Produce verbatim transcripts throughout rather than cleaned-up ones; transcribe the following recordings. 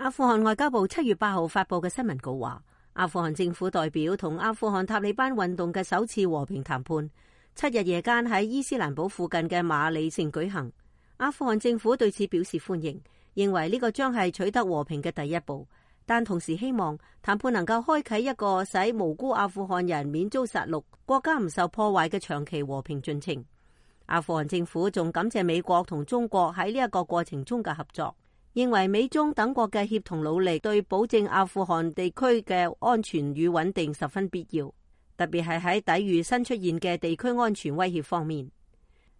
阿富汗外交部七月八號發佈嘅新聞稿話，阿富汗政府代表同阿富汗塔利班運動嘅首次和平談判，七日夜間喺伊斯蘭堡附近嘅馬里城舉行。阿富汗政府對此表示歡迎，認為呢個將係取得和平嘅第一步，但同時希望談判能夠開啟一個使無辜阿富汗人免遭殺戮、國家唔受破壞嘅長期和平進程。阿富汗政府仲感謝美國同中國喺呢一個過程中嘅合作，認為美中等國嘅協同努力對保證阿富汗地區嘅安全與穩定十分必要，特別係喺抵禦新出現嘅地區安全威脅方面。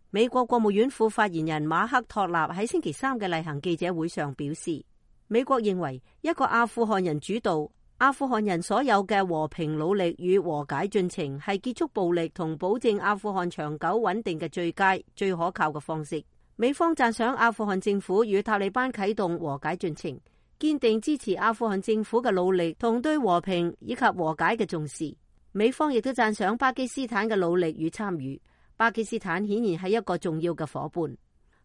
美國國務院副發言人馬克托納喺星期三嘅例行記者會上表示，美國認為一個阿富汗人主導、阿富汗人所有嘅和平努力與和解進程係結束暴力同保證阿富汗長久穩定嘅最佳、最可靠嘅方式。美方讚賞阿富汗政府與塔利班啟動和解進程，堅定支持阿富汗政府嘅努力同對和平以及和解嘅重視。美方亦都讚賞巴基斯坦嘅努力與參與。巴基斯坦顯然係一個重要嘅夥伴。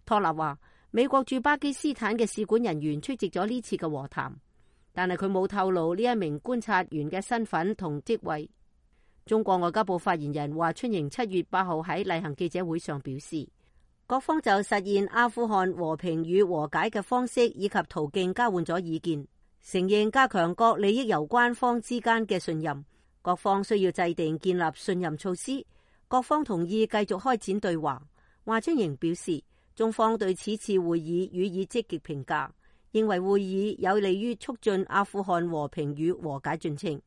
托納話，美國駐巴基斯坦嘅使館人員出席咗呢次嘅和談，但係佢冇透露呢一名觀察員嘅身份同職位。中國外交部發言人華春瑩七月八號喺例行記者會上表示，各方就實現阿富汗和平與和解嘅方式以及途徑交換咗意見，承認加強各利益攸關方之間嘅信任，各方需要制定建立信任措施。各方同意繼續開展對話。華春瑩表示，中方對此次會議予以積極評價，認為會議有利於促進阿富汗和平與和解進程。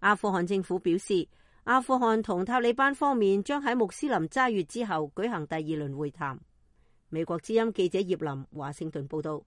阿富汗政府表示，阿富汗同塔利班方面將喺穆斯林齋月之後舉行第二輪會談。美國之音記者葉林華盛頓報道。